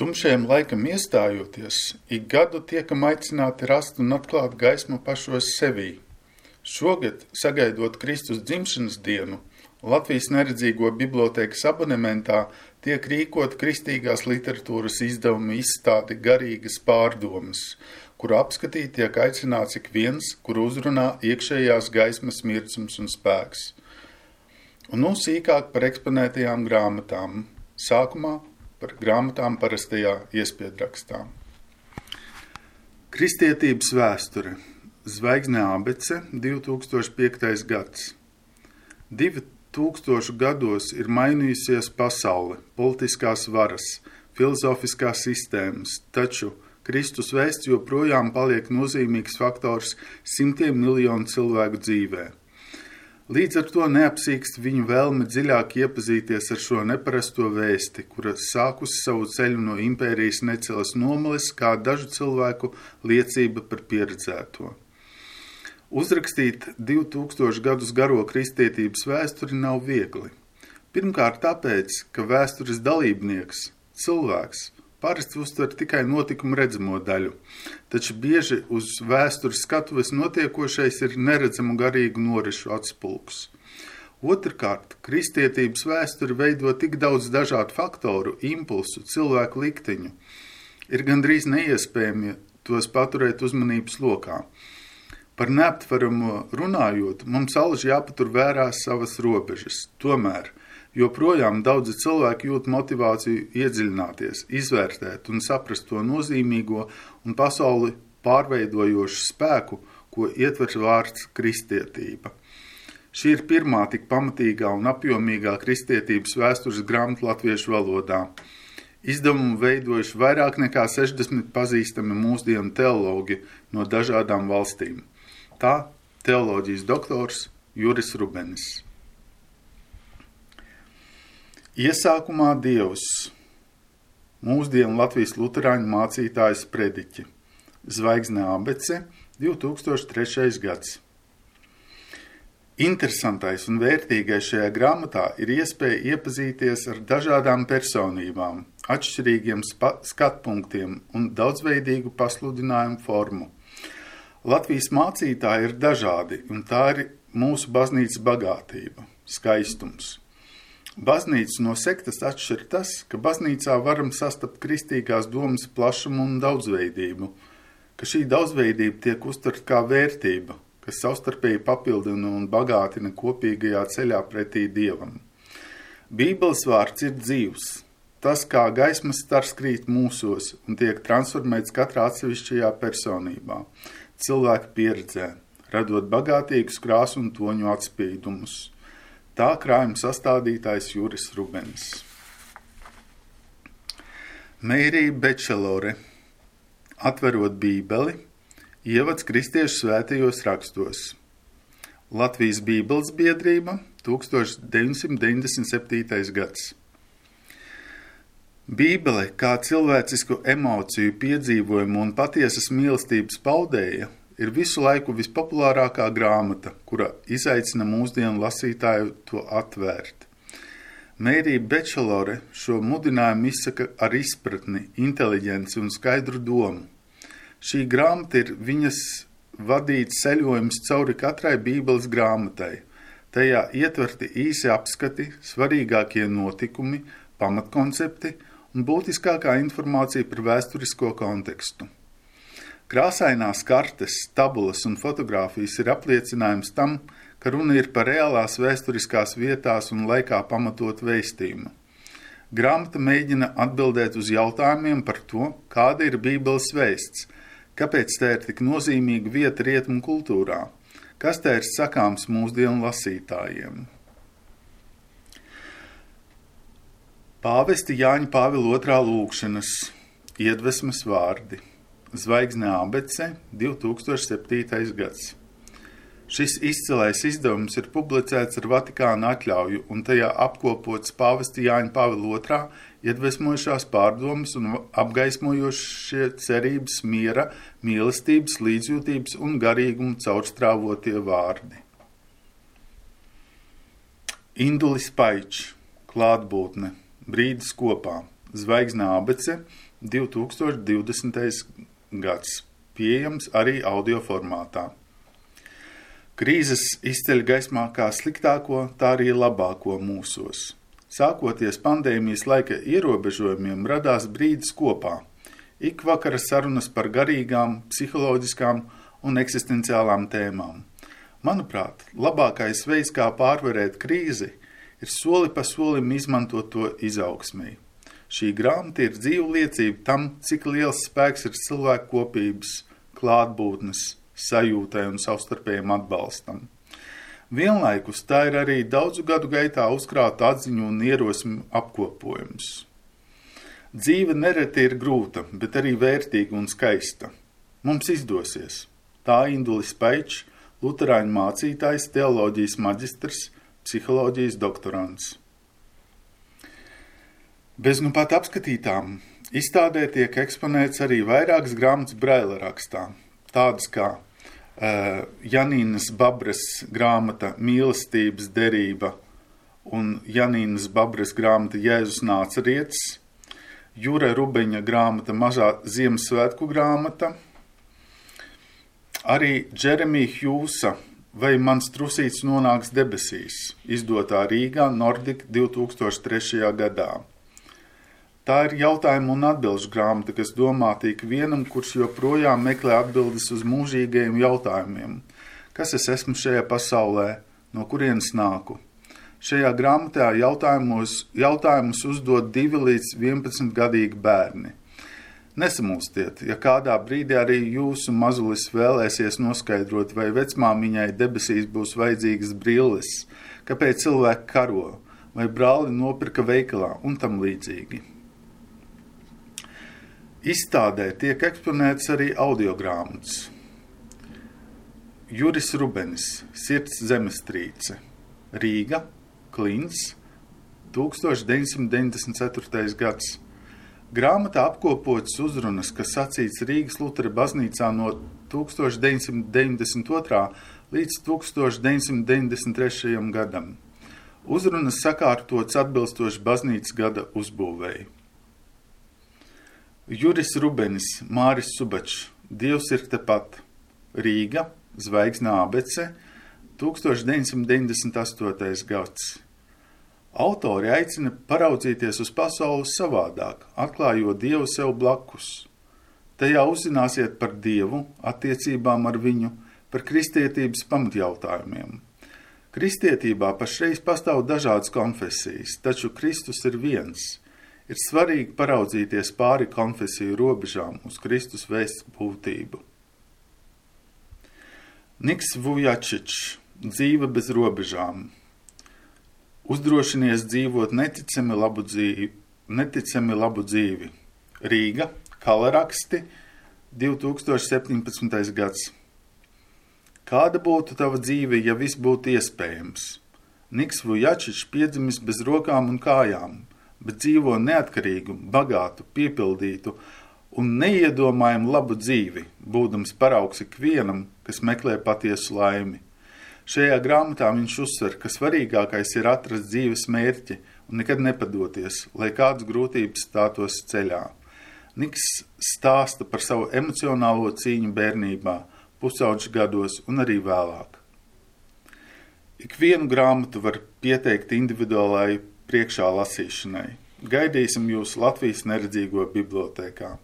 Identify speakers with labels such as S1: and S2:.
S1: Tumšajam laikam iestājoties, ik gadu tiekam aicināti rast un atklāt gaismu pašos sevī. Šogad, sagaidot Kristus dzimšanas dienu, Latvijas neredzīgo bibliotēkas abonementā tiek rīkot kristīgās literatūras izdevuma izstāde Garīgas pārdomas, kuru apskatīt tiek aicināts ik viens, kur uzrunā iekšējās gaismas mirdzums un spēks. Un nu sīkāk par eksponētajām grāmatām. Sākumā par grāmatām parastajā iespiedrakstā. Kristietības vēsture. Zvaigzne abece, 2005. gads. 2000 gados ir mainījusies pasaule, politiskās varas, filozofiskās sistēmas, taču Kristus vēsts joprojām paliek nozīmīgs faktors simtiem miljonu cilvēku dzīvē. Līdz ar to neapsīkst viņu vēlme dziļāk iepazīties ar šo neparasto vēsti, kura sākusi savu ceļu no impērijas necelas nomales kā dažu cilvēku liecība par pieredzēto. Uzrakstīt 2000 gadus garo kristietības vēsturi nav viegli. Pirmkārt tāpēc, ka vēstures dalībnieks, cilvēks, parasti uztver tikai notikumu redzamo daļu, taču bieži uz vēstures skatuves notiekošais ir neredzamu garīgu norišu atspulks. Otrkārt, kristietības vēsturi veido tik daudz dažādu faktoru, impulsu, cilvēku likteņu. Ir gandrīz neiespējami tos paturēt uzmanības lokā. Par neaptveramo runājot, mums alaži jāpatur vērā savas robežas. Tomēr joprojām daudzi cilvēki jūt motivāciju iedziļināties, izvērtēt un saprast to nozīmīgo un pasauli pārveidojošu spēku, ko ietver vārds kristietība. Šī ir pirmā tik pamatīgā un apjomīgā kristietības vēstures grāmata latviešu valodā. Izdevumu veidojuši vairāk nekā 60 pazīstami mūsdienu teologi no dažādām valstīm. Tā teoloģijas doktors Juris Rubenis. Iesākumā Dievs, mūsdienu Latvijas luterāņu mācītājs prediķi, Zvaigzne abece, 2003. gads. Interesantais un vērtīgais šajā grāmatā ir iespēja iepazīties ar dažādām personībām, atšķirīgiem skatpunktiem un daudzveidīgu pasludinājumu formu. Latvijas mācītāji ir dažādi, un tā ir mūsu baznīcas bagātība, skaistums. Baznīcas no sektas atšķir tas, ka baznīcā varam sastapt kristīgās domas plašumu un daudzveidību, ka šī daudzveidība tiek uztverta kā vērtība, kas savstarpēji papildina un bagātina kopīgajā ceļā pretī Dievam. Bībeles vārds ir dzīvs, tas kā gaismas stars krīt mūsos un tiek transformēts katrā atsevišķajā personībā, cilvēka pieredzē, radot bagātīgus krāsu un toņu atspīdumus. Tā krājuma sastādītājs Juris Rubenis. Mērija Bečelore, atverot Bībeli, ievads kristiešu svētajos rakstos. Latvijas Bībeles biedrība, 1997. gads. Bībele kā cilvēcisku emociju piedzīvojumu un patiesas mīlestības paudēja ir visu laiku vispopulārākā grāmata, kura izaicina mūsdienu lasītāju to atvērt. Mērija Bečelore šo mudinājumu izsaka ar izpratni, inteliģenci un skaidru domu. Šī grāmata ir viņas vadīts ceļojums cauri katrai Bībeles grāmatai. Tajā ietverti īsi apskati, svarīgākie notikumi, pamatkoncepti un būtiskākā informācija par vēsturisko kontekstu. Krāsainās kartes, tabulas un fotogrāfijas ir apliecinājums tam, ka runa ir par reālās vēsturiskās vietās un laikā pamatot vēstījumu. Grāmata mēģina atbildēt uz jautājumiem par to, kāda ir Bībeles vēsts, kāpēc tā ir tik nozīmīga vieta rietumu kultūrā, kas tā ir sakāms mūsdienu lasītājiem. Pāvesti Jāņa Pāvila II lūgšanas, iedvesmas vārdi, Zvaigzne abece, 2007. gads. Šis izcilais izdevums ir publicēts ar Vatikāna atļauju un tajā apkopots Pāvesti Jāņa Pāvila II iedvesmojušās pārdomas un apgaismojošie cerības, miera, mīlestības, līdzjūtības un garīguma caurstrāvotie vārdi. Indulis Paičs, klātbūtne, brīdis kopā, Zvaigzne abece, 2020. gads, pieejams arī audio formātā. Krīzes izceļ gaismā kā sliktāko, tā arī labāko mūsos. Sākoties pandēmijas laika ierobežojumiem, radās brīdis kopā. Ik vakara sarunas par garīgām, psiholoģiskām un eksistenciālām tēmām. Manuprāt, labākais veids, kā pārvarēt krīzi, ir soli pa solim izmantot to izaugsmī. Šī grāmata ir dzīva liecība tam, cik liels spēks ir cilvēku kopības, klātbūtnes, sajūtai un savstarpējiem atbalstam. Vienlaikus tā ir arī daudzu gadu gaitā uzkrāta atziņu un ierosmi apkopojums. Dzīve nereti ir grūta, bet arī vērtīga un skaista. Mums izdosies. Tā Indulis Paičs, luterāņu mācītājs, teoloģijas maģistrs, psiholoģijas doktorants. Bez nu pat apskatītām izstādē tiek eksponēts arī vairākas grāmatas Braila rakstā, tādas kā Janīnas Babres grāmata Mīlestības derība un Janīnas Babres grāmata Jēzus Nācerietis, Jura Rubeņa grāmata Mažā Ziemassvētku grāmata, arī Džeremija Hjūsa Vai mans trusīts nonāks debesīs, izdotā Rīgā Nordic 2003. gadā. Tā ir jautājumu un atbilžu grāmata, kas domāta ikvienam, kurš joprojām meklē atbildes uz mūžīgajiem jautājumiem. Kas es esmu šajā pasaulē, no kurienes nāku? Šajā grāmatā jautājumus uzdod 2 līdz 11 gadīgi bērni. Nesamulstiet, ja kādā brīdī arī jūsu mazulis vēlēsies noskaidrot, vai vecmāmiņai debesīs būs vajadzīgas brilles, kāpēc cilvēki karo, vai brāli nopirka veikalā un tam līdzīgi. Izstādē tiek eksponēts arī audiogrāmatas. Juris Rubenis, Sirds zemestrīce, Rīga, Klints, 1994. gads. Grāmatā apkopotas uzrunas, kas sacīts Rīgas Lutera baznīcā no 1992. līdz 1993. gadam. Uzrunas sakārtotas atbilstoši baznīcas gada uzbūvēji. Juris Rubenis, Māris Subačs, Dievs ir tepat, Rīga, Zvaigzne abece, 1998. gads. Autori aicina paraudzīties uz pasauli savādāk, atklājot Dievu sev blakus. Tajā uzzināsiet par Dievu, attiecībām ar viņu, par kristietības pamatjautājumiem. Kristietībā pašreiz pastāv dažādas konfesijas, taču Kristus ir viens. Ir svarīgi paraudzīties pāri konfesiju robežām uz Kristus vēsts būtību. Niks Vujačičs, Dzīve bez robežām. Uzdrošinies dzīvot neticami labu dzīvi. Rīga, Kalaraksti, 2017. gads. Kāda būtu tava dzīve, ja viss būtu iespējams? Niks Vujačičs piedzimis bez rokām un kājām, bet dzīvo neatkarīgu, bagātu, piepildītu un neiedomājumu labu dzīvi, būdams paraugs ikvienam, kas meklē patiesu laimi. Šajā grāmatā viņš uzsver, ka svarīgākais ir atrast dzīves mērķi un nekad nepadoties, lai kādas grūtības stātos ceļā. Niks stāsta par savu emocionālo cīņu bērnībā, pusauģu gados un arī vēlāk. Ikvienu grāmatu var pieteikt individuālai priekšā lasīšanai. Gaidīsim jūs Latvijas neredzīgo bibliotēkā.